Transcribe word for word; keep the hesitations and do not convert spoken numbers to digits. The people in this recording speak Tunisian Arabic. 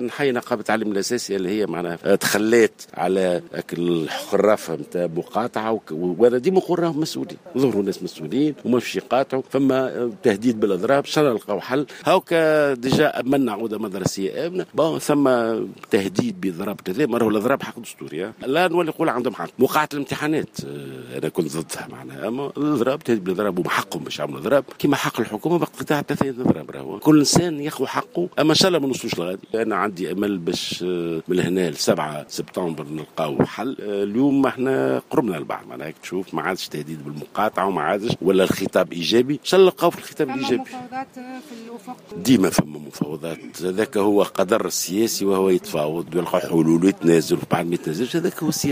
نحيي نقابة التعليم الاساسي اللي هي معناها تخلات على الخرافة نتاع مقاطعه، وانا ديما نقول راهم مسؤولين، ظهروا ناس مسؤولين وما باش يقاطعوا. فما تهديد بالاضراب، ان شاء الله نلقاو حل. هاوكا déjà امنا عوده مدرسيه امنه، bon ثم تهديد باضراب كذا، ما راهو الاضراب حق دستوري. لا نولي نقول عندهم حق. مقاطعه الامتحانات آه، انا كنت ضدها معناها، اما الاضراب، تهديد بالاضراب، وحقهم باش يعملوا اضراب كما حق الحكومة بقطاع ثلاثة اضراب. راهو كل انسان ياخذ حقه، اما ان شاء الله ما نوصلوش لغادي. انا عندي امل باش آه، من هنا ل سبعة سبتمبر نلقاو حل. آه، اليوم احنا قربنا لبعض، معناها تشوف ما عادش تهديد بالمقاطعه وما عادش ولا الخطاب ايجابي، ان شاء الله نلقاو في الخطاب الايجابي. مفاوضات في الافق؟ ديما فما مفاوضات، هذاك هو قدر السياسي، وهو يتفاوض ويلقى حلول ويتنازل وبعد ما يتنازلش، هذاك هو السياسي.